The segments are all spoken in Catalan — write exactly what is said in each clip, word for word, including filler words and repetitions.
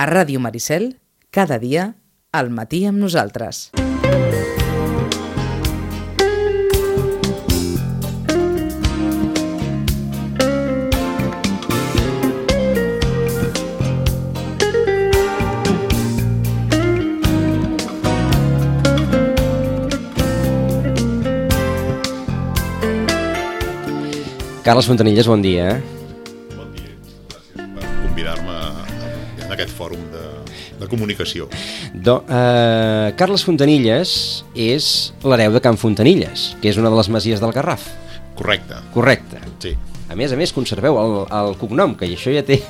A Ràdio Maricel, cada dia, al matí amb nosaltres. Carles Fontanilles, bon dia. Bon dia, gràcies per convidar-me en aquest fòrum de, de comunicació. Do, eh, Carles Fontanilles és l'hereu de Can Fontanilles, que és una de les masies del Garraf. Correcte. Correcte. Sí. A més a més, conserveu el, el cognom, que això ja té,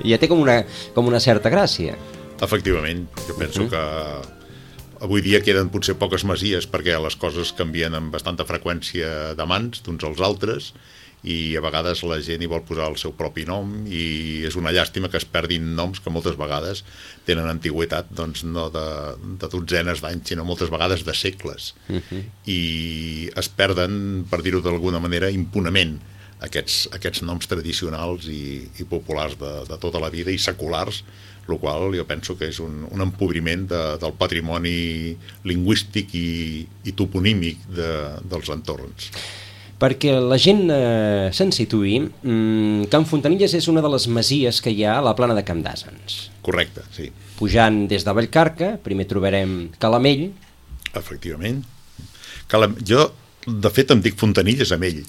ja té com, una, com una certa gràcia. Efectivament, jo penso uh-huh. que avui dia queden potser poques masies perquè les coses canvien amb bastanta freqüència de mans d'uns als altres, i a vegades la gent hi vol posar el seu propi nom i és una llàstima que es perdin noms que moltes vegades tenen antigüitat, doncs no de, de dotzenes d'anys, sinó moltes vegades de segles. Uh-huh. I es perden, per dir-ho d'alguna manera, impunament aquests, aquests noms tradicionals i, i populars de, de tota la vida i seculars, el qual jo penso que és un, un empobriment de, del patrimoni lingüístic i, i toponímic de, dels entorns. Perquè la gent eh, se'n situï, mmm, Can Fontanilles és una de les masies que hi ha a la plana de Camp d'Àsens. Correcte, sí. Pujant des de Vallcarca, primer trobarem Calamell. Efectivament. Calam... Jo, de fet, em dic Fontanilles amb ell.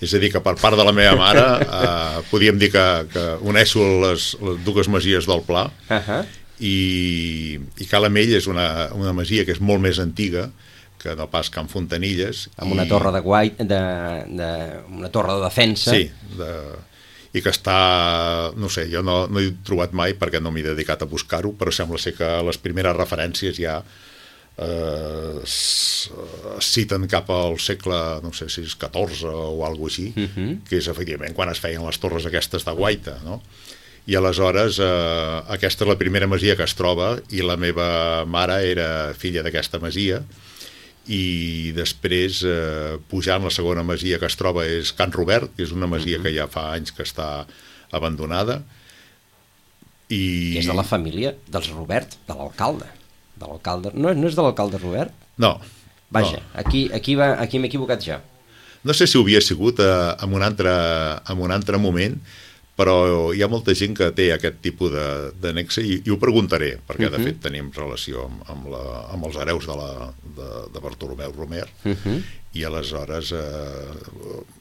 És a dir, que per part de la meva mare eh, podíem dir que, que unesso les, les dues masies del Pla, uh-huh. i, i Calamell és una, una masia que és molt més antiga que no pas Can Fontanilles. Amb una i... torre de guai, de, de, una torre de defensa. Sí, de, i que està, no sé, jo no, no he trobat mai perquè no m'he dedicat a buscar-ho, però sembla ser que les primeres referències ja eh, es, es citen cap al segle, no sé si és catorze o alguna cosa així, uh-huh. que és efectivament quan es feien les torres aquestes de guaita, no? I aleshores eh, aquesta és la primera masia que es troba i la meva mare era filla d'aquesta masia. I després, eh, pujant la segona masia que es troba és Can Robert, que és una masia uh-huh. que ja fa anys que està abandonada. I... I és de la família dels Robert, de l'alcalde. De l'alcalde. No, no és de l'alcalde Robert? No. Vaja, no. aquí, aquí, va, aquí m'he equivocat jo. No sé si ho havia sigut eh, en, un altre, en un altre moment, però hi ha molta gent que té aquest tipus de, de nexe i, i ho preguntaré, perquè uh-huh. de fet tenim relació amb, amb, la, amb els hereus de, la, de, de Bartolomeu Romer, uh-huh. i aleshores eh,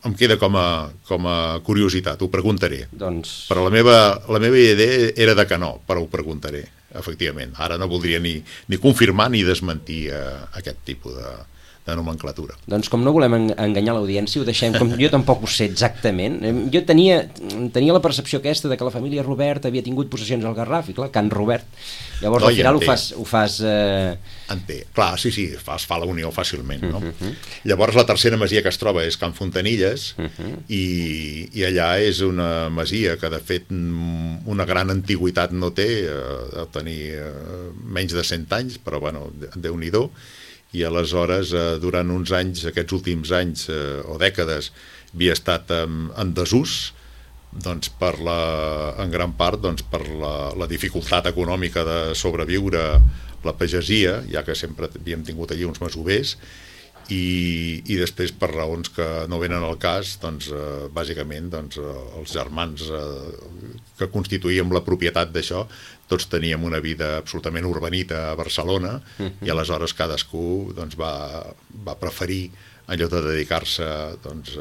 em queda com a, com a curiositat, ho preguntaré. Doncs... Però la meva, la meva idea era de que no, però ho preguntaré, efectivament. Ara no voldria ni, ni confirmar ni desmentir eh, aquest tipus de... de nomenclatura. Doncs com no volem enganyar l'audiència, ho deixem, com jo tampoc ho sé exactament. Jo tenia, tenia la percepció aquesta de que la família Robert havia tingut possessions al Garraf, i clar, Can Robert. Llavors no, al final ho fas... Ho fas eh... Enté. Clar, sí, sí, es fa la unió fàcilment, no? Uh-huh. Llavors la tercera masia que es troba és Can Fontanilles, uh-huh. i, i allà és una masia que de fet una gran antiguitat no té, eh, de tenir eh, menys de cent anys, però bueno, Déu-n'hi-do. I aleshores, eh, durant uns anys, aquests últims anys eh, o dècades, havia estat eh, en desús, doncs per la, en gran part doncs per la, la dificultat econòmica de sobreviure la pagesia, ja que sempre havíem tingut allí uns masovers, i, i després per raons que no venen al cas, doncs, eh, bàsicament doncs, eh, els germans eh, que constituïem la propietat d'això, tots teníem una vida absolutament urbanita a Barcelona, uh-huh. i aleshores cadascú doncs, va, va preferir, en lloc de dedicar-se doncs,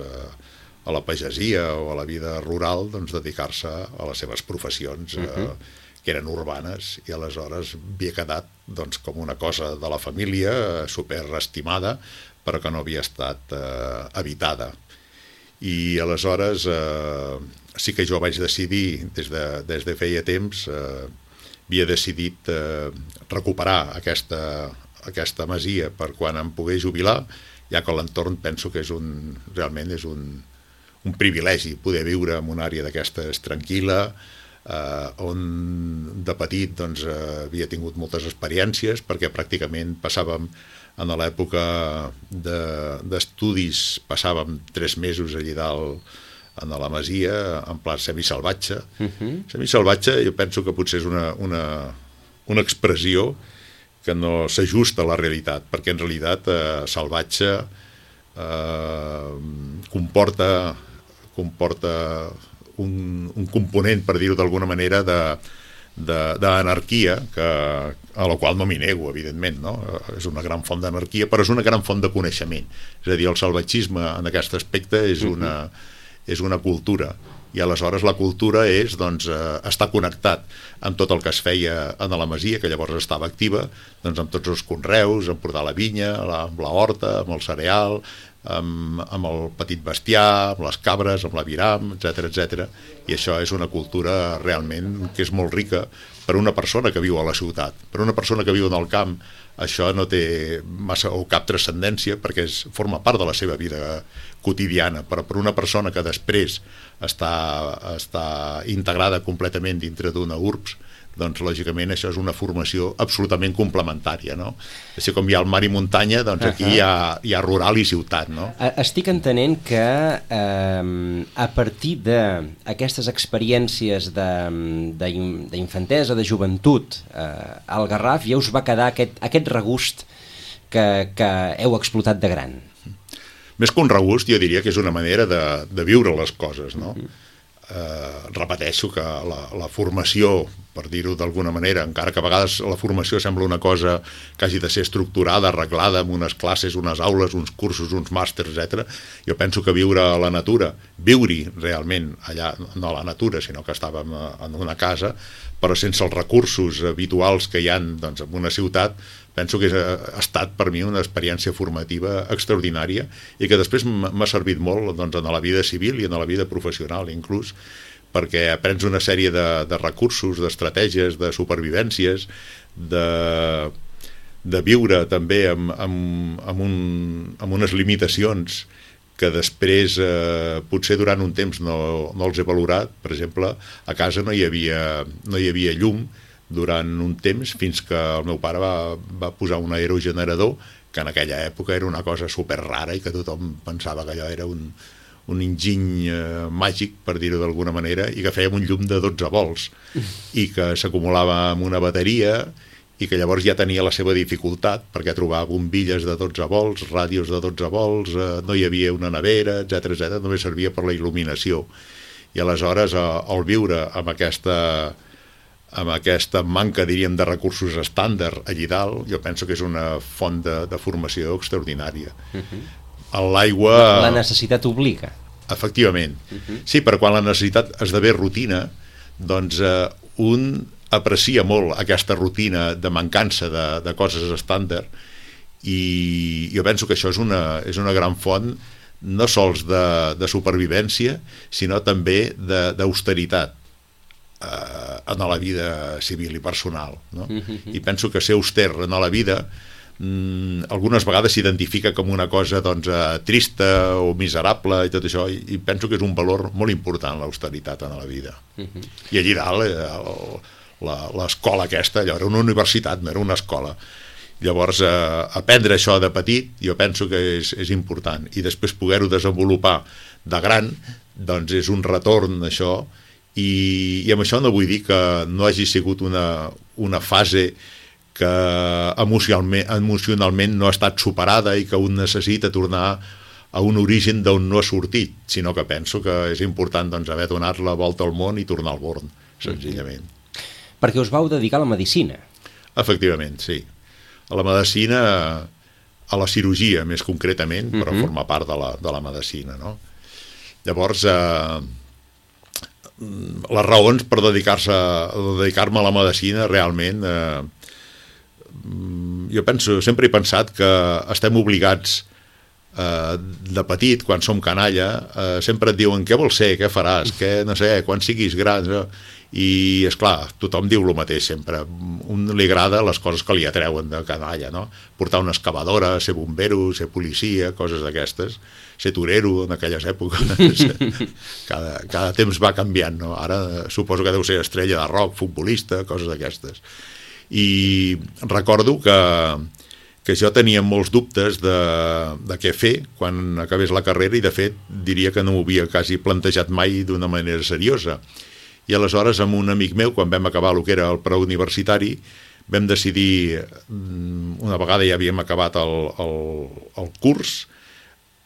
a la pagesia o a la vida rural, doncs, dedicar-se a les seves professions uh-huh. eh, que eren urbanes, i aleshores havia quedat doncs, com una cosa de la família, superestimada, però que no havia estat eh, habitada. I aleshores eh, sí que jo vaig decidir, des de, des de feia temps, eh, havia decidit eh, recuperar aquesta, aquesta masia per quan em pogués jubilar, ja que l'entorn penso que és un, realment és un, un privilegi poder viure en una àrea d'aquestes tranquil·la, eh, on de petit doncs, eh, havia tingut moltes experiències, perquè pràcticament passàvem en l'època de, d'estudis, passàvem tres mesos allí dalt en la masia, en pla semisalvatge. Uh-huh. Semisalvatge jo penso que potser és una, una, una expressió que no s'ajusta a la realitat, perquè en realitat eh, salvatge eh, comporta, comporta un, un component, per dir-ho d'alguna manera, de d'anarquia, que a la qual no m'hi nego, evidentment, no? És una gran font d'anarquia, però és una gran font de coneixement. És a dir, el salvatgisme en aquest aspecte és una, és una cultura, i aleshores la cultura és, doncs, eh, estar connectat amb tot el que es feia en la masia, que llavors estava activa, doncs amb tots els conreus, amb portar la vinya, la, amb la horta, amb el cereal, amb, amb el petit bestiar, amb les cabres, amb l'aviram, etcètera, etcètera. I això és una cultura realment que és molt rica per una persona que viu a la ciutat. Per una persona que viu en el camp, això no té massa o cap transcendència, perquè és, forma part de la seva vida quotidiana, però per una persona que després està, està integrada completament dintre d'una urbs, doncs lògicament això és una formació absolutament complementària, no? Així com hi ha el mar i muntanya, doncs aquí uh-huh. hi, ha, hi ha rural i ciutat, no? Estic entenent que eh, a partir d'aquestes experiències d'infantesa, de, de joventut eh, al Garraf, ja us va quedar aquest, aquest regust que, que heu explotat de gran. Més que un regust, jo diria que és una manera de, de viure les coses, no? Uh-huh. Eh, repeteixo que la, la formació, per dir-ho d'alguna manera, encara que a vegades la formació sembla una cosa que hagi de ser estructurada, arreglada, amb unes classes, unes aules, uns cursos, uns màsters, etcètera. Jo penso que viure a la natura, viure realment allà, no a la natura, sinó que estàvem en una casa, però sense els recursos habituals que hi ha, doncs, en una ciutat, penso que ha estat per mi una experiència formativa extraordinària i que després m'ha servit molt, doncs, en la vida civil i en la vida professional inclús, perquè aprens una sèrie de, de recursos, d'estratègies, de supervivències, de, de viure també amb, amb, amb, un, amb unes limitacions que després eh, potser durant un temps no, no els he valorat. Per exemple, a casa no hi havia, no hi havia llum durant un temps, fins que el meu pare va, va posar un aerogenerador, que en aquella època era una cosa super rara i que tothom pensava que allò era un, un enginy eh, màgic, per dir-ho d'alguna manera, i que fèiem un llum de dotze volts i que s'acumulava amb una bateria i que llavors ja tenia la seva dificultat, perquè trobar bombilles de dotze volts, ràdios de dotze volts, eh, no hi havia una nevera, etcètera, etcètera, només servia per la il·luminació. I aleshores, eh, al viure amb aquesta amb aquesta manca, diríem, de recursos estàndard allí dalt, jo penso que és una font de, de formació extraordinària. Uh-huh. L'aigua... La necessitat obliga. Efectivament. Uh-huh. Sí, però quan la necessitat esdevé rutina, doncs eh, un aprecia molt aquesta rutina de mancança de, de coses estàndard, i jo penso que això és una, és una gran font no sols de, de supervivència, sinó també d'austeritat eh, en la vida civil i personal, no? Uh-huh. I penso que ser auster en la vida mm, algunes vegades s'identifica com una cosa, doncs, eh, trista o miserable i tot això, i, i penso que és un valor molt important l'austeritat en la vida. Uh-huh. I allí dalt eh, l'escola aquesta, allò era una universitat, no era una escola. Llavors eh, aprendre això de petit jo penso que és, és important, i després poder-ho desenvolupar de gran, doncs és un retorn això. I, i amb això no vull dir que no hagi sigut una, una fase que emocionalment, emocionalment no ha estat superada i que un necessita tornar a un origen d'on no ha sortit, sinó que penso que és important, doncs, haver donat la volta al món i tornar al Born, senzillament. Mm-hmm. Perquè us vau dedicar a la medicina. Efectivament, sí. A la medicina, a la cirurgia més concretament, però mm-hmm. forma part de la, de la medicina, no? Llavors... Eh, les raons per dedicar-se dedicar-me a la medicina realment eh, jo penso, sempre he pensat que estem obligats eh, de petit, quan som canalla, eh, sempre et diuen què vols ser, què faràs, què, no sé, quan siguis gran, no? I esclar, tothom diu el mateix sempre, un li agrada les coses que li atreuen de canalla, no? Portar una excavadora, ser bombero, ser policia, coses d'aquestes, ser torero en aquelles èpoques. cada, cada temps va canviant, no? Ara suposo que deu ser estrella de rock, futbolista, coses d'aquestes. I recordo que, que jo tenia molts dubtes de, de què fer quan acabés la carrera i de fet diria que no m'ho havia quasi plantejat mai d'una manera seriosa. I aleshores amb un amic meu, quan vam acabar el que era el preuniversitari, vam decidir, una vegada ja havíem acabat el, el, el curs,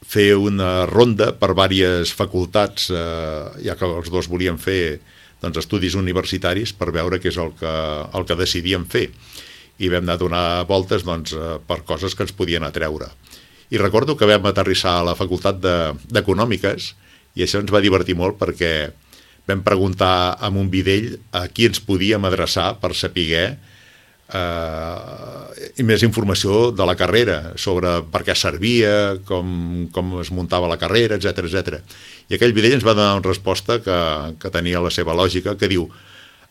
fer una ronda per diverses facultats, eh, ja que els dos volíem fer doncs, estudis universitaris per veure què és el que, el que decidíem fer. I vam anar a donar voltes doncs, per coses que ens podien atreure. I recordo que vam aterrissar a la facultat d'Econòmiques i això ens va divertir molt perquè vam preguntar a un videll a qui ens podíem adreçar per saber eh, i més informació de la carrera, sobre per què servia, com, com es muntava la carrera, etcètera etcètera. I aquell videll ens va donar una resposta que, que tenia la seva lògica, que diu: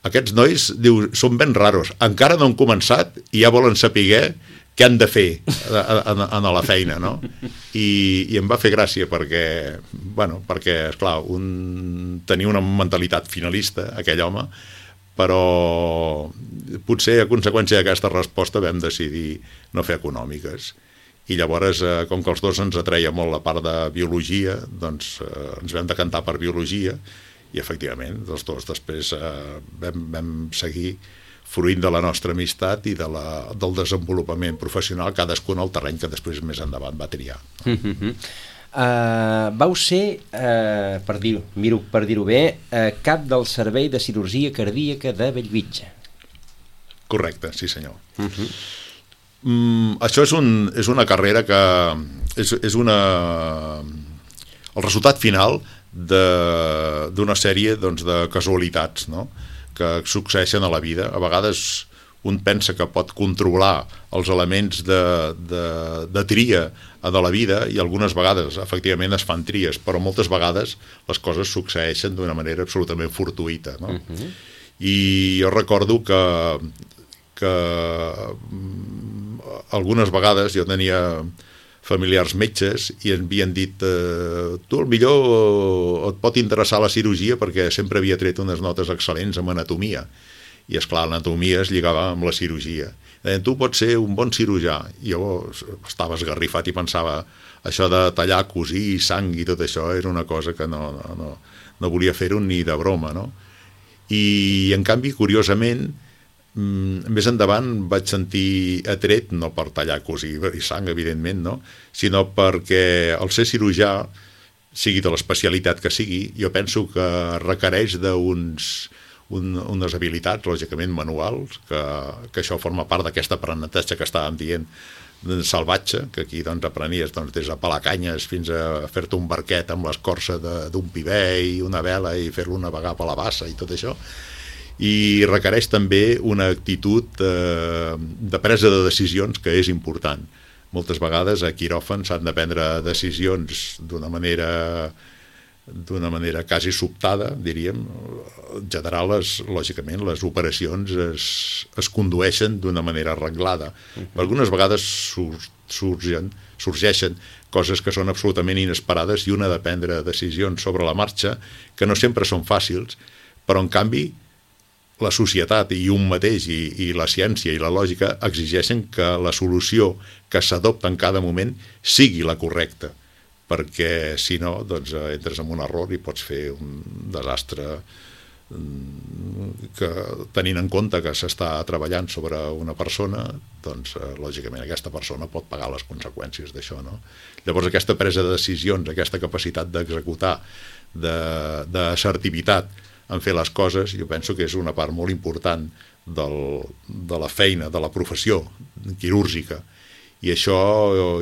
aquests nois, diu, són ben raros, encara no han començat i ja volen saber què han de fer a, a, a la feina, no? I, i em va fer gràcia perquè, bueno, perquè, esclar, un tenia una mentalitat finalista, aquell home, però potser a conseqüència d'aquesta resposta vam decidir no fer econòmiques. I llavors, eh, com que els dos ens atreia molt la part de biologia, doncs eh, ens vam decantar per biologia i efectivament els dos després eh, vam, vam seguir fruint de la nostra amistat i de la, del desenvolupament professional, cadascun al terreny que després més endavant va triar. Mm-hmm. uh, vau ser, uh, per dir-ho dir per dir-ho bé, uh, cap del servei de cirurgia cardíaca de Bellvitge. Correcte, sí senyor. Mm-hmm. Mm, això és, un, és una carrera que és, és una... el resultat final d'una sèrie doncs, de casualitats, no?, que succeeixen a la vida. A vegades un pensa que pot controlar els elements de, de, de tria de la vida i algunes vegades efectivament es fan tries, però moltes vegades les coses succeeixen d'una manera absolutament fortuïta, no? Uh-huh. I jo recordo que, que algunes vegades jo tenia familiars metges i ens havien dit eh, tu al millor et pot interessar la cirurgia perquè sempre havia tret unes notes excel·lents en anatomia i esclar, l'anatomia es lligava amb la cirurgia. Deien, tu pots ser un bon cirurgià. I jo estava esgarrifat i pensava això de tallar, cosir, sang i tot això era una cosa que no, no, no, no volia fer-ho ni de broma, no? I en canvi, curiosament, més endavant vaig sentir atret, no per tallar cosir i sang, evidentment, no? Sinó perquè el ser cirurgià, sigui de l'especialitat que sigui, jo penso que requereix d'uns un, unes habilitats, lògicament manuals, que, que això forma part d'aquest aprenentatge que estàvem dient salvatge, que aquí doncs, aprenies doncs, des de pelar canyes fins a fer-te un barquet amb l'escorça d'un piber i una vela i fer-lo navegar per la bassa i tot això. I requereix també una actitud eh, de presa de decisions que és important. Moltes vegades a quiròfan s'han de prendre decisions d'una manera d'una manera quasi sobtada, diríem. En general, les, lògicament, les operacions es, es condueixen d'una manera arreglada. Uh-huh. Algunes vegades surgen, sorgeixen coses que són absolutament inesperades i una ha de prendre decisions sobre la marxa que no sempre són fàcils, però en canvi la societat i un mateix i, i la ciència i la lògica exigeixen que la solució que s'adopta en cada moment sigui la correcta, perquè si no doncs, entres en un error i pots fer un desastre que, tenint en compte que s'està treballant sobre una persona, doncs lògicament aquesta persona pot pagar les conseqüències d'això, no? Llavors aquesta presa de decisions, aquesta capacitat d'executar, d'assertivitat en fer les coses, jo penso que és una part molt important del, de la feina, de la professió quirúrgica. I això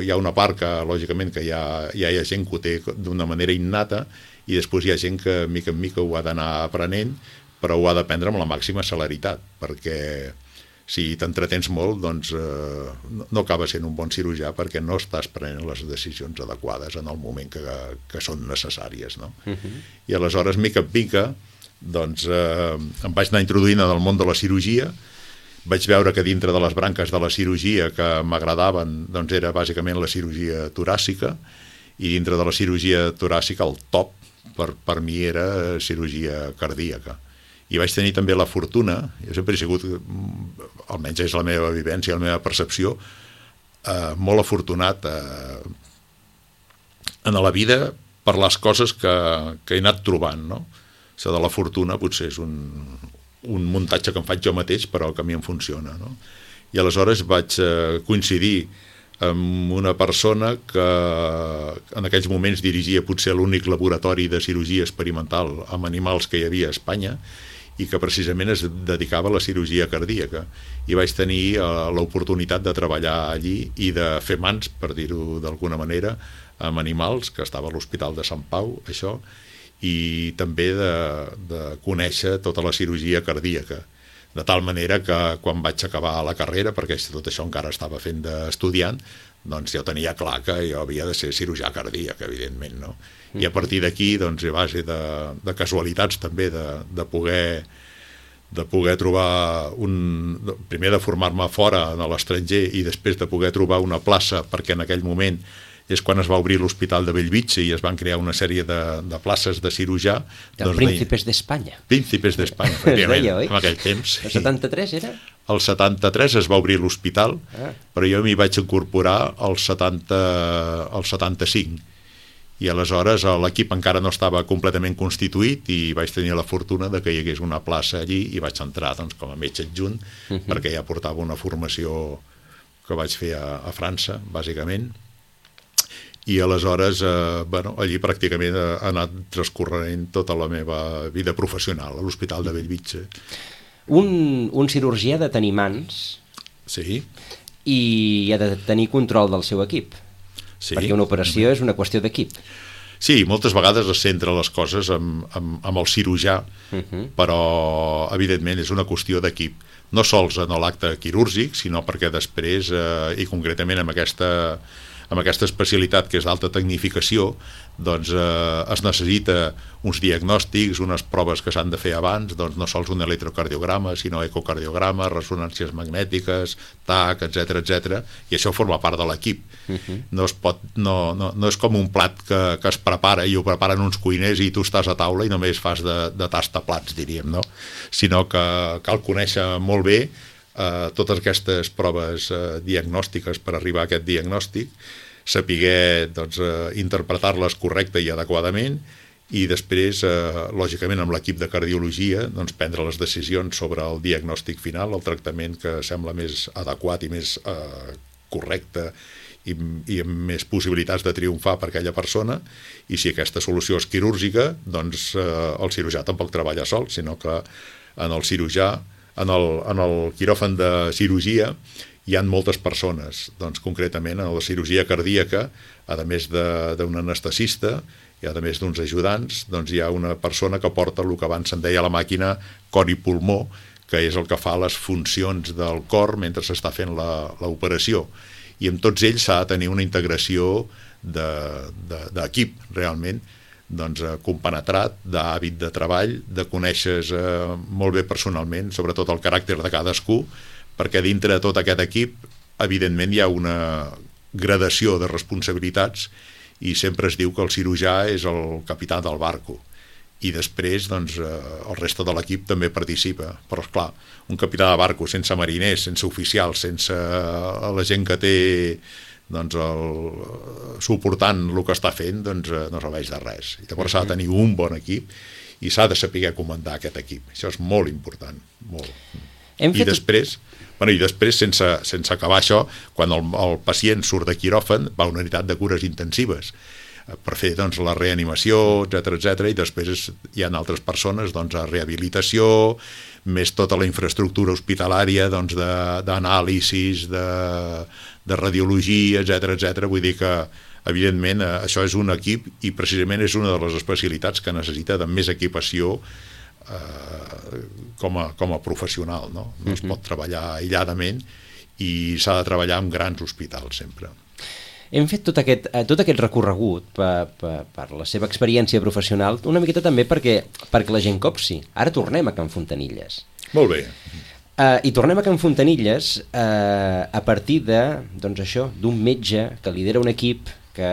hi ha una part que, lògicament, que hi ha, hi ha gent que ho té d'una manera innata i després hi ha gent que, mica en mica, ho ha d'anar aprenent, però ho ha d'aprendre amb la màxima celeritat, perquè si t'entretens molt, doncs eh, no acaba sent un bon cirurgià perquè no estàs prenent les decisions adequades en el moment que, que són necessàries, no? Uh-huh. I aleshores, mica en mica, doncs eh, em vaig anar introduint en el món de la cirurgia. Vaig veure que dintre de les branques de la cirurgia que m'agradaven doncs era bàsicament la cirurgia toràcica, i dintre de la cirurgia toràcica el top per, per mi era cirurgia cardíaca. I vaig tenir també la fortuna, jo sempre he sigut, almenys és la meva vivència, la meva percepció, eh, molt afortunat eh, en la vida per les coses que, que he anat trobant, no? Això de la fortuna potser és un, un muntatge que em faig jo mateix, però que a mi em funciona, no? I aleshores vaig eh, coincidir amb una persona que en aquells moments dirigia potser l'únic laboratori de cirurgia experimental amb animals que hi havia a Espanya i que precisament es dedicava a la cirurgia cardíaca. I vaig tenir eh, l'oportunitat de treballar allí i de fer mans, per dir-ho d'alguna manera, amb animals, que estava a l'Hospital de Sant Pau, això, i també de, de conèixer tota la cirurgia cardíaca. De tal manera que quan vaig acabar la carrera, perquè tot això encara estava fent d'estudiant, doncs jo tenia clar que jo havia de ser cirurgià cardíac, evidentment, no? I a partir d'aquí, doncs, a base de, de casualitats també, de, de poder de poder trobar un... primer de formar-me fora a l'estranger i després de poder trobar una plaça, perquè en aquell moment és quan es va obrir l'Hospital de Bellvitge i es van crear una sèrie de, de places de cirurgià. De doncs Príncipes d'Espanya. Príncipes d'Espanya, efectivament, en aquell temps. El setanta-tres era? El setanta-tres es va obrir l'hospital, ah. però jo m'hi vaig incorporar al setanta, al setanta-cinc. I aleshores l'equip encara no estava completament constituït i vaig tenir la fortuna de que hi hagués una plaça allí i vaig entrar doncs, com a metge adjunt, uh -huh. perquè ja portava una formació que vaig fer a, a França, bàsicament. I aleshores, eh, bueno, allí pràcticament ha anat transcorrent tota la meva vida professional, a l'Hospital de Bellvitge. Un, un cirurgià ha de tenir mans, sí, i ha de tenir control del seu equip, sí, perquè una operació és una qüestió d'equip. Sí, moltes vegades es centra les coses amb, amb, amb el cirurgià, uh -huh. però evidentment és una qüestió d'equip, no sols en l'acte quirúrgic, sinó perquè després, eh, i concretament amb aquesta... amb aquesta especialitat que és d'alta tecnificació, doncs eh, es necessita uns diagnòstics, unes proves que s'han de fer abans, doncs no sols un electrocardiograma, sinó ecocardiograma, ressonàncies magnètiques, T A C, etcètera, etcètera, i això forma part de l'equip. Uh-huh. No es pot, no, no, no és com un plat que, que es prepara i ho preparen uns cuiners i tu estàs a taula i només fas de, de tastaplats, diríem, no? Sinó que cal conèixer molt bé Uh, totes aquestes proves uh, diagnòstiques per arribar a aquest diagnòstic, saber doncs, uh, interpretar-les correcte i adequadament i després, uh, lògicament, amb l'equip de cardiologia, doncs, prendre les decisions sobre el diagnòstic final, el tractament que sembla més adequat i més uh, correcte i, i amb més possibilitats de triomfar per aquella persona, i si aquesta solució és quirúrgica, doncs uh, el cirurgià tampoc treballa sol, sinó que en el cirurgià En el, en el quiròfan de cirurgia hi ha moltes persones, doncs concretament en la cirurgia cardíaca, a més d'un anestesista i a més d'uns ajudants, doncs hi ha una persona que porta el que abans se'n deia la màquina cor i pulmó, que és el que fa les funcions del cor mentre s'està fent l'operació. I amb tots ells s'ha de tenir una integració d'equip, de, de, realment, doncs, eh, compenetrat, d'hàbit de treball, de conèixer eh, molt bé personalment, sobretot el caràcter de cadascú, perquè dintre de tot aquest equip, evidentment, hi ha una gradació de responsabilitats i sempre es diu que el cirurgià és el capità del barco i després doncs, eh, el reste de l'equip també participa, però esclar, un capità de barco sense mariners, sense oficials, sense la gent que té doncs el, suportant el que està fent, doncs no serveix de res. I llavors s'ha de tenir un bon equip i s'ha de saber comandar aquest equip. Això és molt important, molt. Hem I fet... després, bueno, i després sense, sense acabar això, quan el, el pacient surt de quiròfan, va a una unitat de cures intensives per fer doncs, la reanimació, etcètera, etcètera, i després hi ha altres persones doncs, a rehabilitació, més tota la infraestructura hospitalària doncs, d'anàlisis, de, de radiologia, etcètera, etcètera. Vull dir que, evidentment, això és un equip i precisament és una de les especialitats que necessita de més equipació eh, com, a, com a professional. No, no es pot treballar aïlladament i s'ha de treballar en grans hospitals sempre. Hem fet tot aquest, tot aquest recorregut per, per, per la seva experiència professional, una miqueta també perquè, perquè la gent copsi. Ara tornem a Can Fontanilles. Molt bé. Uh, I tornem a Can Fontanilles uh, a partir de, doncs això, d'un metge que lidera un equip, que,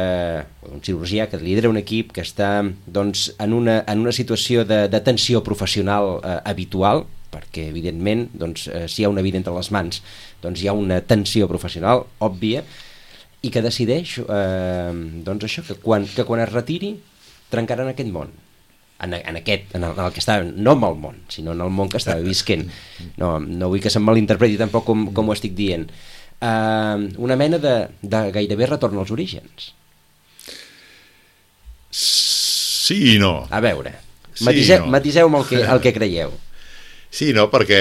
un cirurgià que lidera un equip que està doncs, en, una, en una situació de, de tensió professional uh, habitual, perquè evidentment doncs, eh, si hi ha una vida entre les mans doncs hi ha una tensió professional òbvia i que decideix eh, doncs això, que quan, que quan es retiri trencaran aquest món en, en aquest, en el, en el que estava, no en el món sinó en el món que estava visquent. No, no vull que se'm malinterpreti tampoc com, com ho estic dient. Eh, una mena de, de gairebé retorn als orígens. Sí i no. A veure, matiseu, sí, no. matiseu-me el que, el que creieu. Sí, no, perquè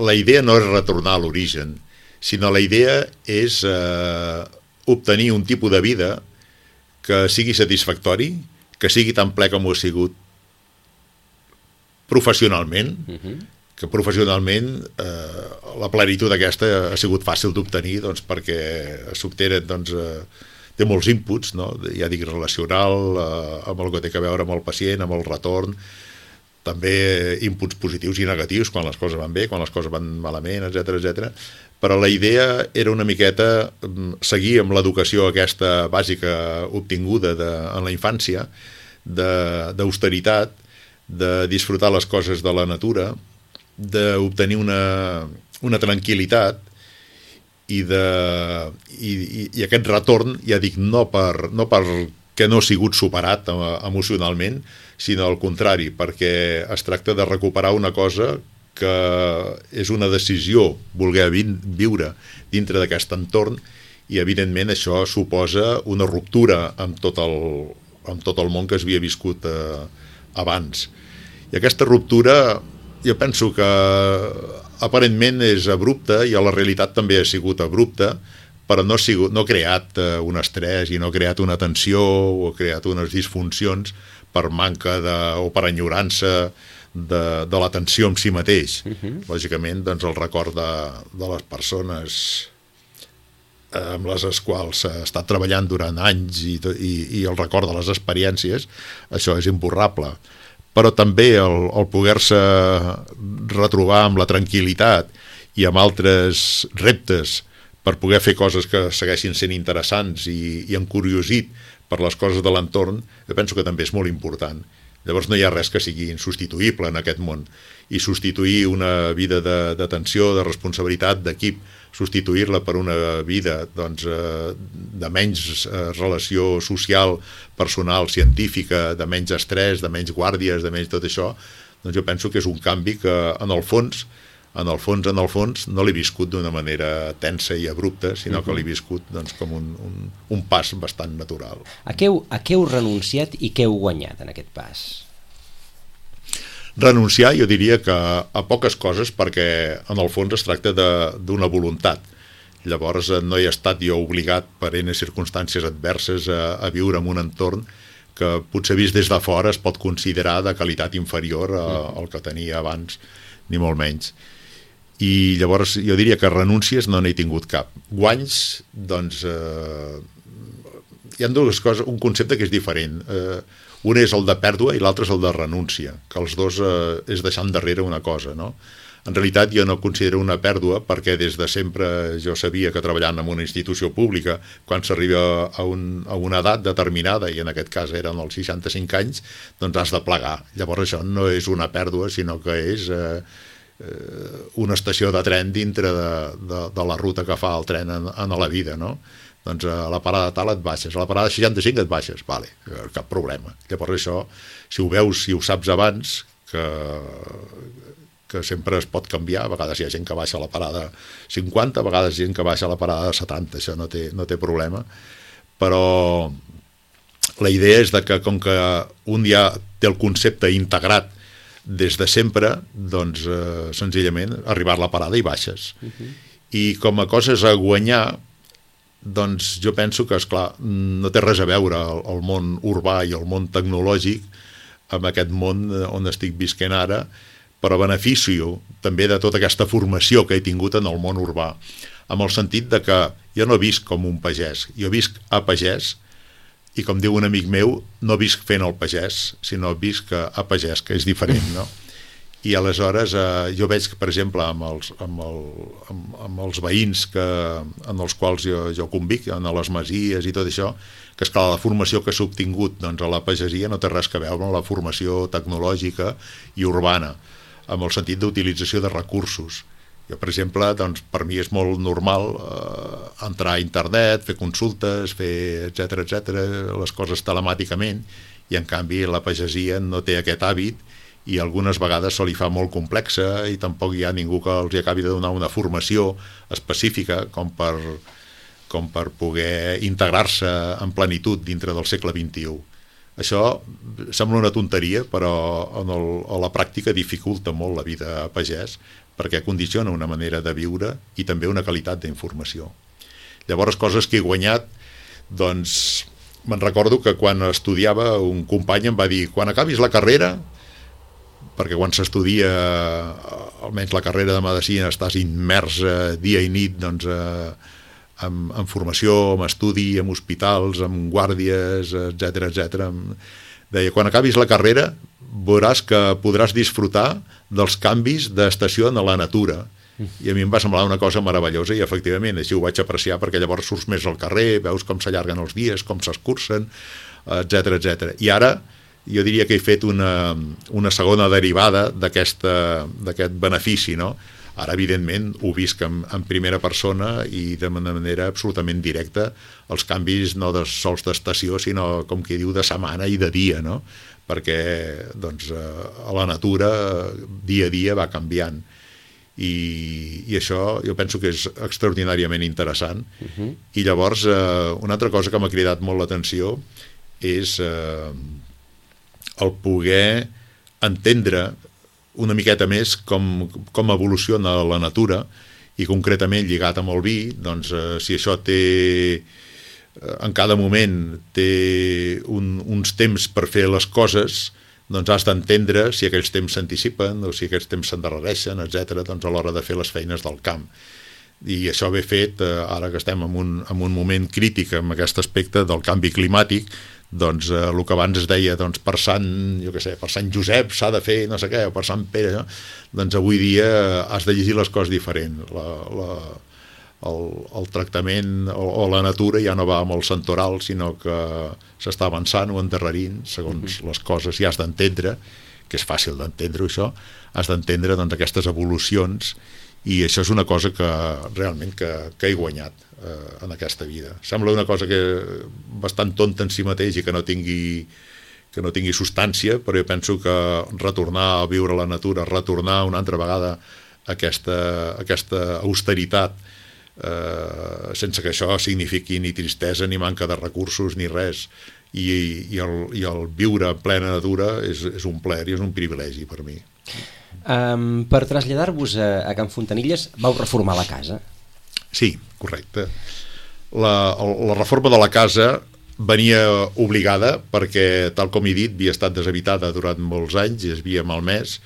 la idea no és retornar a l'origen, sinó la idea és eh, obtenir un tipus de vida que sigui satisfactori, que sigui tan ple com ho ha sigut professionalment, uh-huh. que professionalment eh, la plenitud aquesta ha sigut fàcil d'obtenir doncs, perquè s'obtenen doncs, eh, té molts inputs, no? Ja dic relacional, eh, amb el que té a veure amb el pacient, amb el retorn, també inputs positius i negatius, quan les coses van bé, quan les coses van malament, etcètera, etcètera. Però la idea era una miqueta seguir amb l'educació aquesta bàsica obtinguda de, en la infància, d'austeritat, de, de disfrutar les coses de la natura, d'obtenir una, una tranquil·litat, i, de, i, i, i aquest retorn, ja dic, no per, no per que no ha sigut superat emocionalment, sinó al contrari, perquè es tracta de recuperar una cosa que és una decisió voler viure dintre d'aquest entorn, i evidentment això suposa una ruptura amb tot el, amb tot el món que es havia viscut eh, abans. I aquesta ruptura jo penso que aparentment és abrupta, i a la realitat també ha sigut abrupta, però no ha, sigut, no ha creat eh, un estrès i no ha creat una tensió o ha creat unes disfuncions per manca de, o per enyorança de, de l'atenció en si mateix. Uh-huh. Lògicament, doncs, el record de, de les persones eh, amb les quals s'ha estat treballant durant anys i, i, i el record de les experiències, això és imborrable. Però també el, el poder-se retrobar amb la tranquil·litat i amb altres reptes per poder fer coses que segueixin sent interessants i, i encuriosit per les coses de l'entorn, jo penso que també és molt important. Llavors no hi ha res que sigui insubstituïble en aquest món, i substituir una vida de, de tensió, de responsabilitat, d'equip, substituir-la per una vida doncs, eh, de menys eh, relació social, personal, científica, de menys estrès, de menys guàrdies, de menys tot això, doncs jo penso que és un canvi que en el fons en el fons, en el fons, no l'he viscut d'una manera tensa i abrupta, sinó que l'he viscut doncs, com un, un, un pas bastant natural. A què, heu, a què heu renunciat i què heu guanyat en aquest pas? Renunciar, jo diria que a poques coses, perquè en el fons es tracta d'una voluntat. Llavors no he estat jo obligat per enes circumstàncies adverses a, a viure en un entorn que potser vist des de fora es pot considerar de qualitat inferior a, al que tenia abans, ni molt menys. I llavors jo diria que renúncies no n'he tingut cap. Guanys, doncs, eh, hi ha dues coses, un concepte que és diferent. Eh, un és el de pèrdua i l'altre és el de renúncia, que els dos eh, és deixar endarrere una cosa, no? En realitat jo no considero una pèrdua perquè des de sempre jo sabia que treballant en una institució pública, quan s'arriba a, un, a una edat determinada, i en aquest cas eren els seixanta-cinc anys, doncs has de plegar. Llavors això no és una pèrdua, sinó que és eh, eh, una estació de tren dintre de, de, de la ruta que fa el tren en, en la vida, no? Doncs a la parada tal et baixes, a la parada seixanta-cinc et baixes, vale, cap problema. Llavors això, si ho veus, si ho saps abans, que... que sempre es pot canviar, a vegades hi ha gent que baixa a la parada cinquanta, a vegades hi ha gent que baixa a la parada setanta, això no té, no té problema, però la idea és de que com que un ja té el concepte integrat des de sempre, doncs eh, senzillament arribar a la parada i baixes. Uh-huh. I com a coses a guanyar, doncs jo penso que, esclar, no té res a veure el, el món urbà i el món tecnològic amb aquest món on estic visquent ara, però beneficio també de tota aquesta formació que he tingut en el món urbà, amb el sentit de que jo no visc com un pagès, jo visc a pagès, i com diu un amic meu, no visc fent el pagès, sinó visc a pagès, que és diferent, no? I aleshores eh, jo veig que, per exemple, amb els, amb el, amb, amb els veïns que, en els quals jo, jo convic, en les masies i tot això, que és clar, la formació que s'ha obtingut doncs, a la pagesia no té res a veure amb la formació tecnològica i urbana. amb el sentit d'utilització de recursos. Jo, per exemple, doncs, per mi és molt normal eh, entrar a internet, fer consultes, fer etcètera, etcètera, les coses telemàticament, i en canvi la pagesia no té aquest hàbit i algunes vegades se li fa molt complexa i tampoc hi ha ningú que els acabi de donar una formació específica com per, com per poder integrar-se en plenitud dintre del segle vint-i-u. Això sembla una tonteria, però en el, a la pràctica dificulta molt la vida a pagès, perquè condiciona una manera de viure i també una qualitat d'informació. Llavors, coses que he guanyat, doncs, me'n recordo que quan estudiava un company em va dir, quan acabis la carrera, perquè quan s'estudia, almenys la carrera de medicina, estàs immers dia i nit, doncs, amb, amb formació, amb estudi, amb hospitals, amb guàrdies, etcètera, etcètera. Deia, quan acabis la carrera veuràs que podràs disfrutar dels canvis d'estació en la natura. I a mi em va semblar una cosa meravellosa i efectivament així ho vaig apreciar, perquè llavors surts més al carrer, veus com s'allarguen els dies, com s'escurcen, etcètera, etcètera. I ara jo diria que he fet una, una segona derivada d'aquest benefici, no? Ara, evidentment, ho visc en, en primera persona i de manera absolutament directa, els canvis no de sols d'estació, sinó, com qui diu, de setmana i de dia, no? Perquè doncs, a la natura dia a dia va canviant. I, i això jo penso que és extraordinàriament interessant. Uh-huh. I llavors, eh, una altra cosa que m'ha cridat molt l'atenció és eh, el poder entendre una miqueta més com, com evoluciona la natura i concretament lligat amb el vi, doncs eh, si això té en cada moment té un, uns temps per fer les coses, doncs has d'entendre si aquells temps s'anticipen o si aquells temps s'endarrereixen, etcètera, doncs a l'hora de fer les feines del camp. I això ve fet, eh, ara que estem en un, en un moment crític en aquest aspecte del canvi climàtic, doncs eh, el que abans es deia doncs, per Sant, jo què sé, per Sant Josep s'ha de fer no sé què, o per Sant Pere, no? Doncs avui dia has de llegir les coses diferent. La, la, el, el tractament o, o la natura ja no va amb el santoral, sinó que s'està avançant o endarrerint segons uh-huh. les coses, i has d'entendre, que és fàcil d'entendre això, has d'entendre doncs, aquestes evolucions, i això és una cosa que realment que, que he guanyat eh, en aquesta vida. Sembla una cosa que bastant tonta en si mateix i que no tingui que no tingui substància, però jo penso que retornar a viure a la natura, retornar una altra vegada a aquesta, a aquesta austeritat, eh, sense que això signifiqui ni tristesa, ni manca de recursos, ni res, i, i, el, i el viure en plena natura és, és un plaer i és un privilegi per mi. Um, per traslladar-vos a, a Can Fontanilles vau reformar la casa? Sí, correcte. La, la reforma de la casa venia obligada perquè, tal com he dit, havia estat deshabitada durant molts anys i es havia malmès,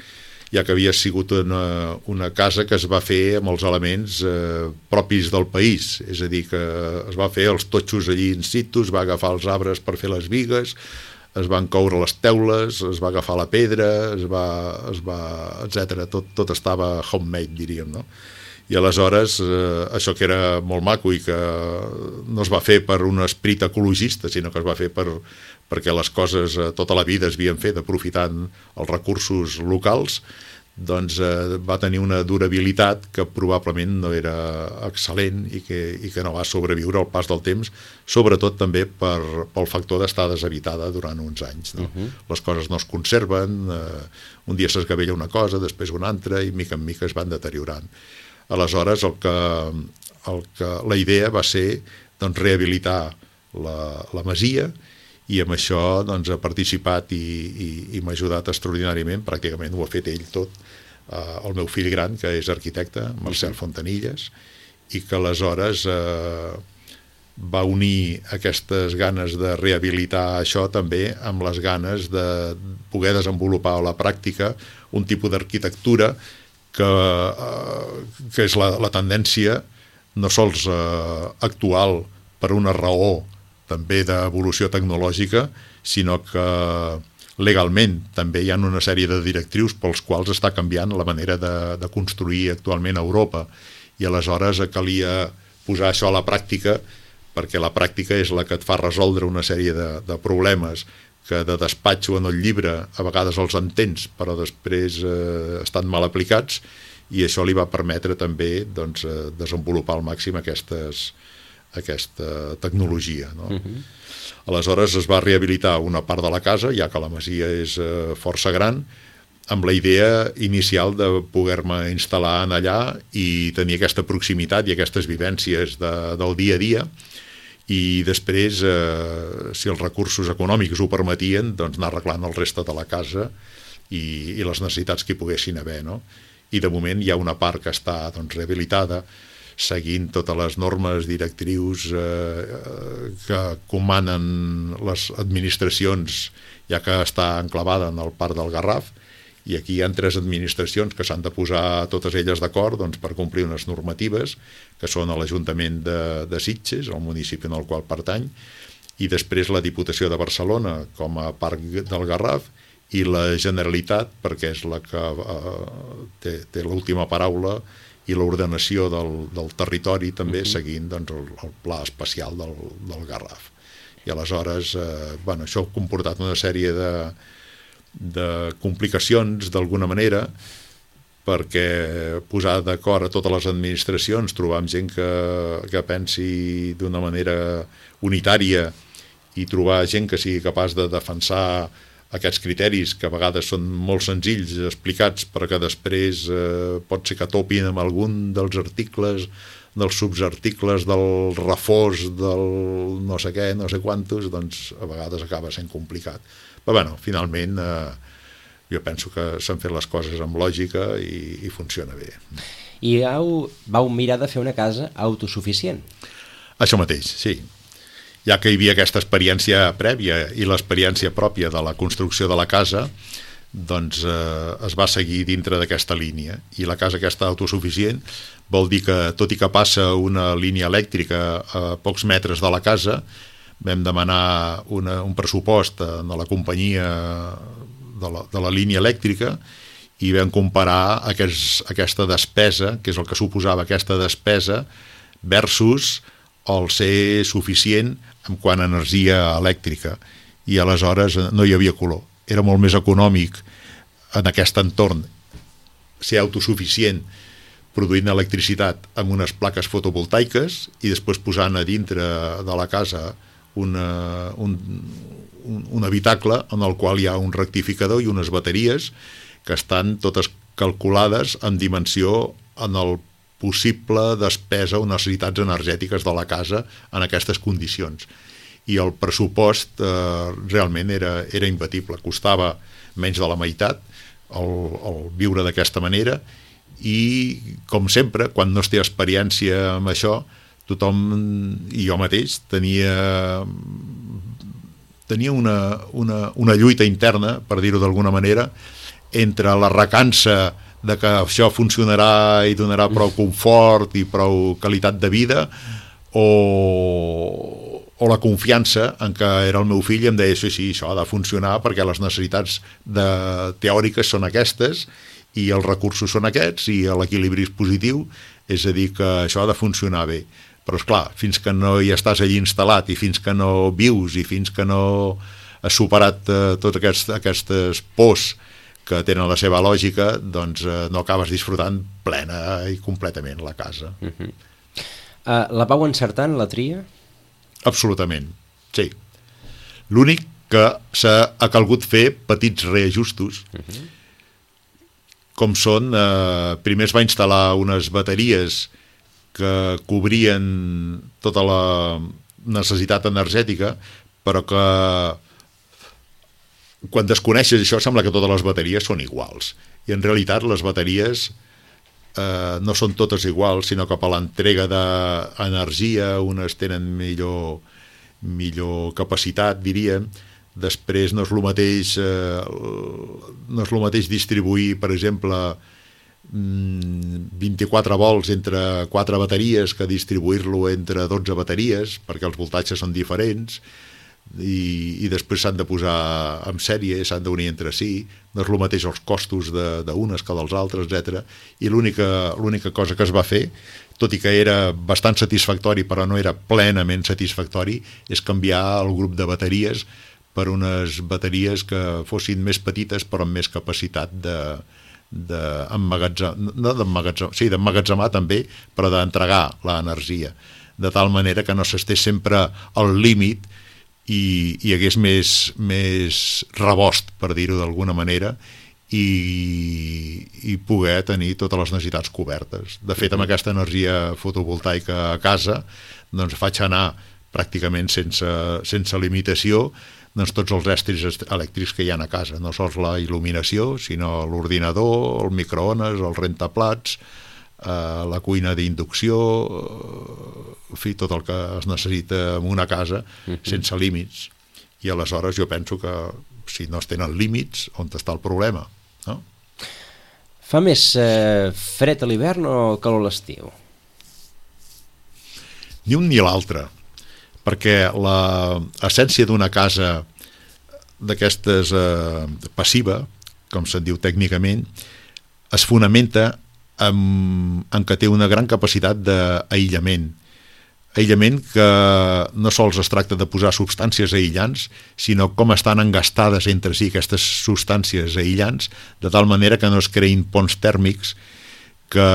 ja que havia sigut una, una casa que es va fer amb els elements eh, propis del país, és a dir, que es va fer els totxos allí in situ, es va agafar els arbres per fer les bigues, es van coure les teules, es va agafar la pedra, es va, es va etcètera. Tot, tot estava homemade, diríem, no? I aleshores, eh, això que era molt maco i que no es va fer per un esperit ecologista, sinó que es va fer per, perquè les coses eh, tota la vida es havien fet aprofitant els recursos locals, doncs eh, va tenir una durabilitat que probablement no era excel·lent i que, i que no va sobreviure al pas del temps, sobretot també per, pel factor d'estar deshabitada durant uns anys, no? Uh-huh. Les coses no es conserven, eh, un dia s'esgavella una cosa, després una altra, i mica en mica es van deteriorant. Aleshores, el que, el que, la idea va ser doncs, rehabilitar la, la masia, i amb això doncs, ha participat i, i, i m'ha ajudat extraordinàriament, pràcticament ho ha fet ell tot, eh, el meu fill gran, que és arquitecte, Marcel Fontanilles, i que aleshores eh, va unir aquestes ganes de rehabilitar això també amb les ganes de poder desenvolupar a la pràctica un tipus d'arquitectura que, eh, que és la, la tendència no sols eh, actual per una raó també d'evolució tecnològica, sinó que legalment també hi ha una sèrie de directrius pels quals està canviant la manera de, de construir actualment a Europa, i aleshores calia posar això a la pràctica, perquè la pràctica és la que et fa resoldre una sèrie de, de problemes que de despatxo en el llibre a vegades els entens, però després eh, estan mal aplicats, i això li va permetre també doncs, eh, desenvolupar al màxim aquestes, aquesta tecnologia, no? Uh-huh. Aleshores es va rehabilitar una part de la casa, ja que la masia és eh, força gran, amb la idea inicial de poder-me instal·lar en allà i tenir aquesta proximitat i aquestes vivències de, del dia a dia, i després, eh, si els recursos econòmics ho permetien, doncs anar arreglant el reste de la casa i, i les necessitats que hi poguessin haver, no? I de moment hi ha una part que està doncs, rehabilitada, seguint totes les normes directrius eh, que comanen les administracions, ja que està enclavada en el Parc del Garraf, i aquí hi ha tres administracions que s'han de posar totes elles d'acord doncs, per complir unes normatives, que són l'Ajuntament de, de Sitges, el municipi en el qual pertany, i després la Diputació de Barcelona com a Parc del Garraf, i la Generalitat, perquè és la que eh, té, té l'última paraula, i l'ordenació del, del territori també, uh-huh. seguint doncs, el, el pla especial del, del Garraf. I aleshores, eh, bueno, això ha comportat una sèrie de de complicacions d'alguna manera, perquè posar d'acord a totes les administracions, trobar gent que, que pensi d'una manera unitària i trobar gent que sigui capaç de defensar aquests criteris, que a vegades són molt senzills explicats, però que després eh, pot ser que topin amb algun dels articles, dels subarticles, del reforç, del no sé què, no sé quantos, doncs a vegades acaba sent complicat. Però bueno, finalment eh, jo penso que s'han fet les coses amb lògica i, i funciona bé. I vau, vau mirar de fer una casa autosuficient? Això mateix, sí. Ja que hi havia aquesta experiència prèvia i l'experiència pròpia de la construcció de la casa, doncs eh, es va seguir dintre d'aquesta línia. I la casa aquesta autosuficient vol dir que, tot i que passa una línia elèctrica a pocs metres de la casa, vam demanar una, un pressupost a la companyia de la, de la línia elèctrica i vam comparar aquests, aquesta despesa, que és el que suposava aquesta despesa, versus el ser suficient en quant a energia elèctrica. I aleshores no hi havia color. Era molt més econòmic en aquest entorn ser autosuficient produint electricitat amb unes plaques fotovoltaiques i després posant a dintre de la casa Una, un, un habitacle en el qual hi ha un rectificador i unes bateries que estan totes calculades en dimensió en el possible despesa o necessitats energètiques de la casa en aquestes condicions. I el pressupost eh, realment era, era imbatible, costava menys de la meitat el, el viure d'aquesta manera, i com sempre, quan no es té experiència amb això, tothom, i jo mateix, tenia tenia una, una, una lluita interna, per dir-ho d'alguna manera, entre la recança de que això funcionarà i donarà prou confort i prou qualitat de vida, o, o la confiança en què era el meu fill i em deia, sí, sí, això ha de funcionar perquè les necessitats de, teòriques són aquestes i els recursos són aquests i l'equilibri és positiu, és a dir, que això ha de funcionar bé. Però, esclar, fins que no hi estàs allí instal·lat i fins que no vius i fins que no has superat eh, tots aquests, aquestes pors que tenen la seva lògica, doncs eh, no acabes disfrutant plena i completament la casa. Uh-huh. uh, la vau encertar en la tria? Absolutament, sí. L'únic que s'ha calgut fer petits reajustos, uh-huh. com són, eh, primer es va instal·lar unes bateries que cobrien tota la necessitat energètica, però que quan desconeixes això sembla que totes les bateries són iguals. I en realitat les bateries eh, no són totes iguals, sinó que per l'entrega d'energia unes tenen millor, millor capacitat, diríem. Després no és el mateix, eh, no és el mateix distribuir, per exemple, vint-i-quatre volts entre quatre bateries que distribuir-lo entre dotze bateries, perquè els voltatges són diferents, i, i després s'han de posar en sèrie, s'han d'unir entre si, no és el mateix els costos d'unes que dels altres, etcètera. I l'única l'única cosa que es va fer, tot i que era bastant satisfactori però no era plenament satisfactori, és canviar el grup de bateries per unes bateries que fossin més petites però amb més capacitat de d'emmagatzemar, no d'emmagatzemar, sí, d'emmagatzemar també, però d'entregar l'energia, de tal manera que no s'estés sempre al límit i hi hagués més, més rebost, per dir-ho d'alguna manera, i, i poder tenir totes les necessitats cobertes. De fet, amb aquesta energia fotovoltaica a casa, doncs faig anar pràcticament sense, sense limitació doncs tots els estris elèctrics que hi ha a casa, no sols la il·luminació, sinó l'ordinador, el microones, el rentaplats, eh, la cuina d'inducció, en fi, tot el que es necessita en una casa, uh-huh. sense límits. I aleshores jo penso que si no es tenen límits, on està el problema? No? Fa més eh, fred a l'hivern o calor a l'estiu? Ni un ni l'altre, perquè l'essència d'una casa d'aquestes eh, passiva, com se'n diu tècnicament, es fonamenta en, en que té una gran capacitat d'aïllament. Aïllament que no sols es tracta de posar substàncies aïllants, sinó com estan engastades entre si aquestes substàncies aïllants, de tal manera que no es creïn ponts tèrmics que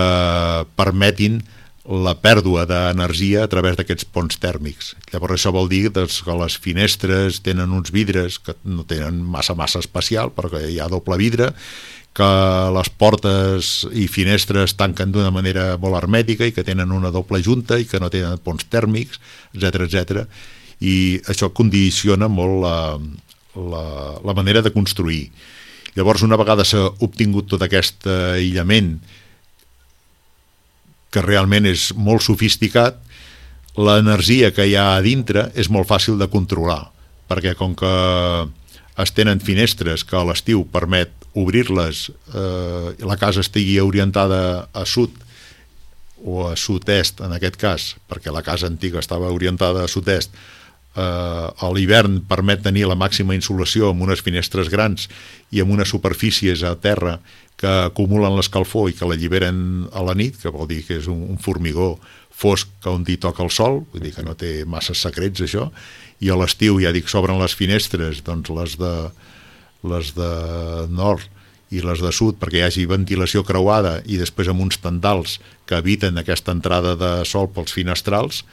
permetin la pèrdua d'energia a través d'aquests ponts tèrmics. Llavors això vol dir doncs, que les finestres tenen uns vidres que no tenen massa massa especial, perquè hi ha doble vidre, que les portes i finestres tanquen d'una manera molt hermètica i que tenen una doble junta i que no tenen ponts tèrmics, etcètera, etcètera. I això condiciona molt la, la, la manera de construir. Llavors, una vegada s'ha obtingut tot aquest aïllament que realment és molt sofisticat, l'energia que hi ha a dintre és molt fàcil de controlar, perquè com que es tenen finestres que a l'estiu permet obrir-les, eh, la casa estigui orientada a sud o a sud-est en aquest cas, perquè la casa antiga estava orientada a sud-est, eh, a l'hivern permet tenir la màxima insolació amb unes finestres grans i amb unes superfícies a terra que acumulen l'escalfor i que l'alliberen a la nit, que vol dir que és un, un formigó fosc que un dia toca el sol, vull dir que no té massa secrets això, i a l'estiu, ja dic, s'obren les finestres, doncs les de, les de nord i les de sud, perquè hi hagi ventilació creuada i després amb uns tendals que eviten aquesta entrada de sol pels finestrals,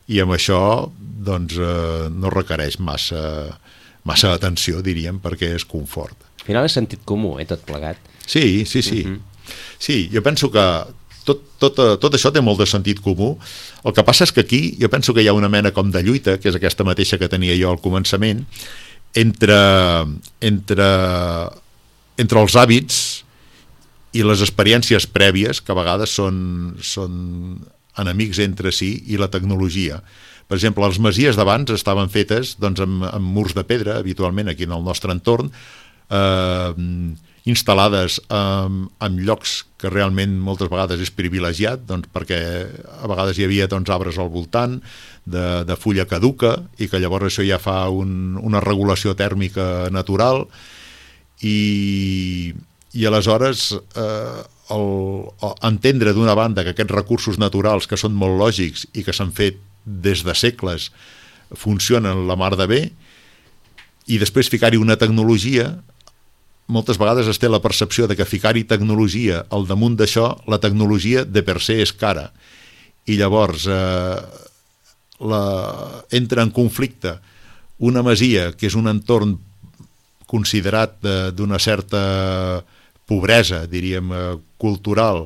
i amb això doncs, eh, no requereix massa, massa atenció, diríem, perquè és confort. Al final és sentit comú, eh, tot plegat. Sí, sí, sí. Uh-huh. Sí, jo penso que tot, tot, tot això té molt de sentit comú. El que passa és que aquí jo penso que hi ha una mena com de lluita, que és aquesta mateixa que tenia jo al començament, entre, entre, entre els hàbits i les experiències prèvies, que a vegades són, són enemics entre si, i la tecnologia. Per exemple, les masies d'abans estaven fetes doncs, amb, amb murs de pedra, habitualment aquí en el nostre entorn, eh, instal·lades en, en llocs que realment moltes vegades és privilegiat, doncs, perquè a vegades hi havia doncs, arbres al voltant de, de fulla caduca i que llavors això ja fa un, una regulació tèrmica natural i, i aleshores eh, el, el, entendre d'una banda que aquests recursos naturals que són molt lògics i que s'han fet des de segles funcionen la mar de bé i després ficar-hi una tecnologia. Moltes vegades es té la percepció de que ficar-hi tecnologia al damunt d'això, la tecnologia de per se és cara. I llavors eh, la, entra en conflicte una masia, que és un entorn considerat d'una certa pobresa, diríem, eh, cultural,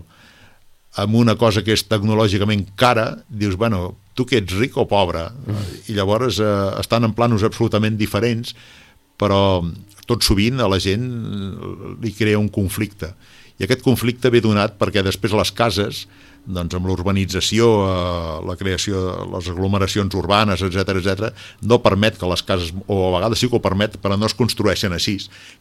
amb una cosa que és tecnològicament cara, dius, bueno, tu que ets ric o pobre? Mm. I llavors eh, estan en planos absolutament diferents, però tot sovint a la gent li crea un conflicte. I aquest conflicte ve donat perquè després les cases, doncs amb l'urbanització, eh, la creació de les aglomeracions urbanes, etcètera, etcètera, no permet que les cases, o a vegades sí que ho permet, però no es construeixen així,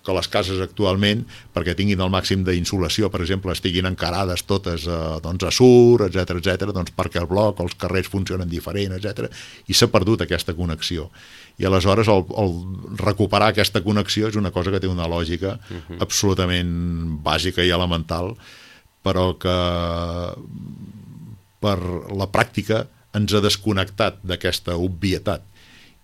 que les cases actualment, perquè tinguin el màxim d'insolació, per exemple, estiguin encarades totes eh, doncs a sur, etcètera, etcètera, doncs perquè el bloc, els carrers funcionen diferent, etcètera, i s'ha perdut aquesta connexió. I aleshores el, el recuperar aquesta connexió és una cosa que té una lògica uh-huh. absolutament bàsica i elemental, però que per la pràctica ens ha desconnectat d'aquesta obvietat.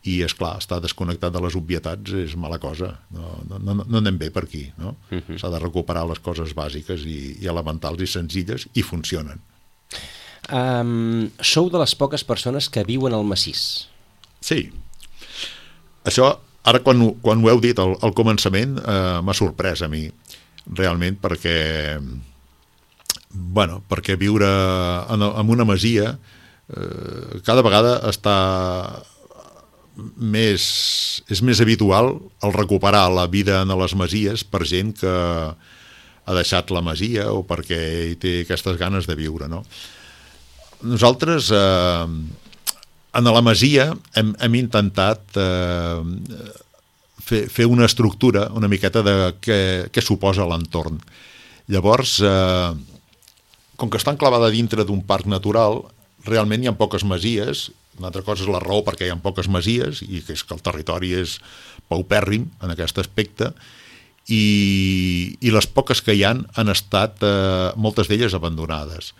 i, és clar, estar desconnectat de les obvietats és mala cosa, no, no, no, no anem bé per aquí, no? Uh-huh. S'ha de recuperar les coses bàsiques i, i elementals i senzilles, i funcionen. Um, sou de les poques persones que viuen al massís. Sí. Això, ara quan, quan ho heu dit al, al començament, eh, m'ha sorprès a mi, realment, perquè bueno, perquè viure en, en una masia eh, cada vegada està més, és més habitual el recuperar la vida en les masies per gent que ha deixat la masia o perquè hi té aquestes ganes de viure, no? Nosaltres eh, en la masia hem, hem intentat eh, fer, fer una estructura una miqueta de què, què suposa l'entorn. Llavors, eh, com que està enclavada dintre d'un parc natural, realment hi ha poques masies. Una altra cosa és la raó perquè hi ha poques masies, i que és que el territori és paupèrrim en aquest aspecte, i, i les poques que hi han han estat, eh, moltes d'elles, abandonades.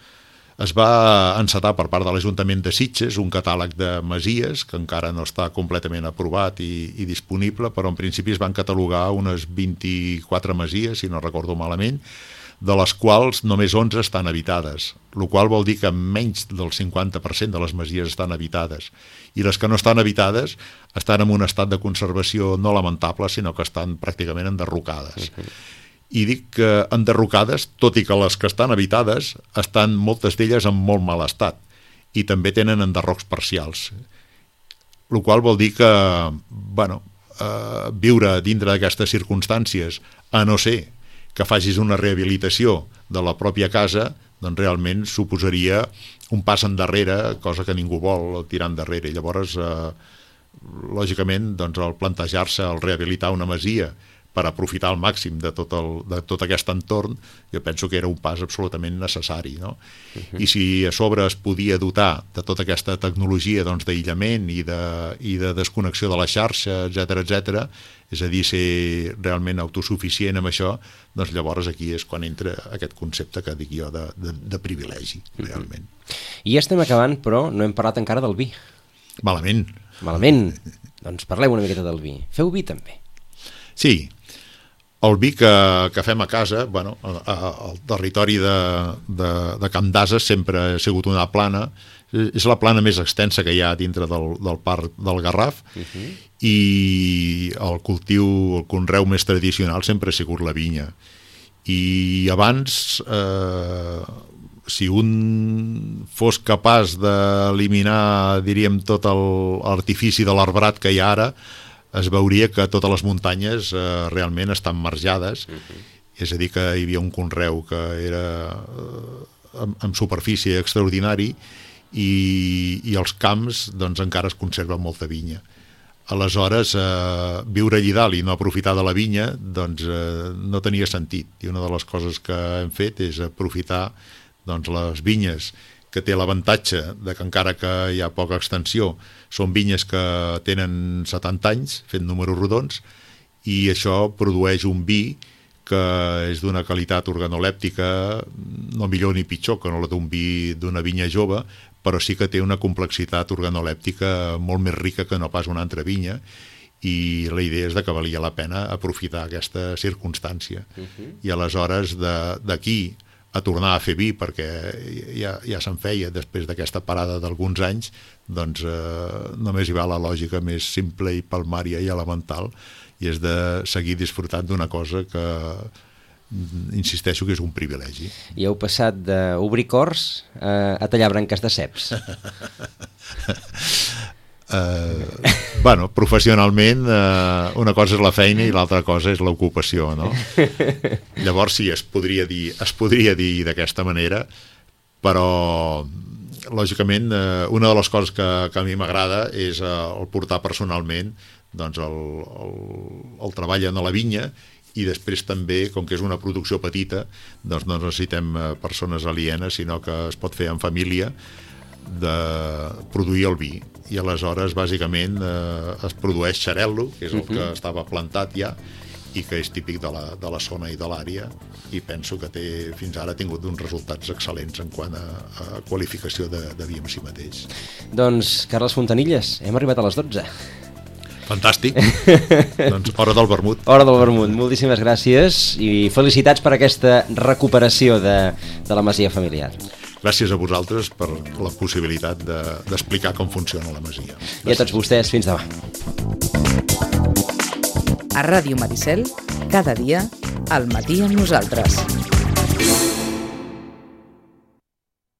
Es va encetar per part de l'Ajuntament de Sitges un catàleg de masies, que encara no està completament aprovat i, i disponible, però en principi es van catalogar unes vint-i-quatre masies, si no recordo malament, de les quals només onze estan habitades, el qual vol dir que menys del cinquanta per cent de les masies estan habitades, i les que no estan habitades estan en un estat de conservació no lamentable, sinó que estan pràcticament enderrocades. Uh-huh. I dic que enderrocades, tot i que les que estan habitades estan moltes d'elles en molt mal estat, i també tenen enderrocs parcials, el qual vol dir que, bueno, eh, viure dintre d'aquestes circumstàncies, a no ser que facis una rehabilitació de la pròpia casa, doncs realment suposaria un pas endarrere, cosa que ningú vol tirar endarrere. I llavors, eh, lògicament, doncs, el plantejar-se, el rehabilitar una masia per aprofitar al màxim de tot, el, de tot aquest entorn, jo penso que era un pas absolutament necessari, no? Uh-huh. I si a sobre es podia dotar de tota aquesta tecnologia, doncs, d'aïllament i de, i de desconnexió de la xarxa, etcètera, etcètera, és a dir, ser realment autosuficient amb això, doncs llavors aquí és quan entra aquest concepte que dic jo de, de, de privilegi, realment. Uh-huh. I ja estem acabant, però no hem parlat encara del vi. Malament. Malament. Doncs parleu una miqueta del vi. Feu vi també. Sí. El vi que, que fem a casa, bueno, al territori de, de, de Camp d'Ases sempre ha sigut una plana, és la plana més extensa que hi ha dintre del, del parc del Garraf, uh-huh. i el cultiu, el conreu més tradicional sempre ha sigut la vinya. I abans, eh, si un fos capaç d'eliminar, diríem, tot l'artifici de l'arbrat que hi ha ara, es veuria que totes les muntanyes eh, realment estan marjades, uh-huh. és a dir, que hi havia un conreu que era eh, amb, amb superfície extraordinari, i, i els camps doncs, encara es conserva molta vinya. Aleshores, eh, viure allí dalt i no aprofitar de la vinya doncs, eh, no tenia sentit, i una de les coses que hem fet és aprofitar doncs, les vinyes, que té l'avantatge de que encara que hi ha poca extensió, són vinyes que tenen setanta anys, fent números rodons, i això produeix un vi que és d'una qualitat organolèptica no millor ni pitjor que no la d'un vi d'una vinya jove, però sí que té una complexitat organolèptica molt més rica que no pas una altra vinya, i la idea és de que valia la pena aprofitar aquesta circumstància. Uh-huh. I aleshores d'aquí a tornar a fer vi, perquè ja, ja se'n feia després d'aquesta parada d'alguns anys, doncs eh, només hi va la lògica més simple i palmària i elemental, i és de seguir disfrutant d'una cosa que insisteixo que és un privilegi. I heu passat d'obrir cors a, a tallar branques de ceps. Uh, bueno, professionalment uh, una cosa és la feina i l'altra cosa és l'ocupació, no? Llavors sí, es podria dir es podria dir d'aquesta manera, però lògicament uh, una de les coses que, que a mi m'agrada és uh, el portar personalment doncs el, el, el treball en la vinya, i després també, com que és una producció petita, doncs no necessitem uh, persones alienes, sinó que es pot fer en família, de produir el vi. I aleshores bàsicament eh, es produeix xarel·lo, que és el uh-huh. que estava plantat ja i que és típic de la, de la zona i de l'àrea, i penso que té, fins ara ha tingut uns resultats excel·lents en quant a, a qualificació de, de vi en si mateix. Doncs, Carles Fontanilles, hem arribat a les dotze. Fantàstic. Doncs hora del vermut. Hora del vermut. Moltíssimes gràcies i felicitats per aquesta recuperació de, de la masia familiar. Gràcies a vosaltres per la possibilitat de, d'explicar com funciona la masia. Gràcies. I a tots vostès, fins demà. A Ràdio Maricel, cada dia, al matí amb nosaltres.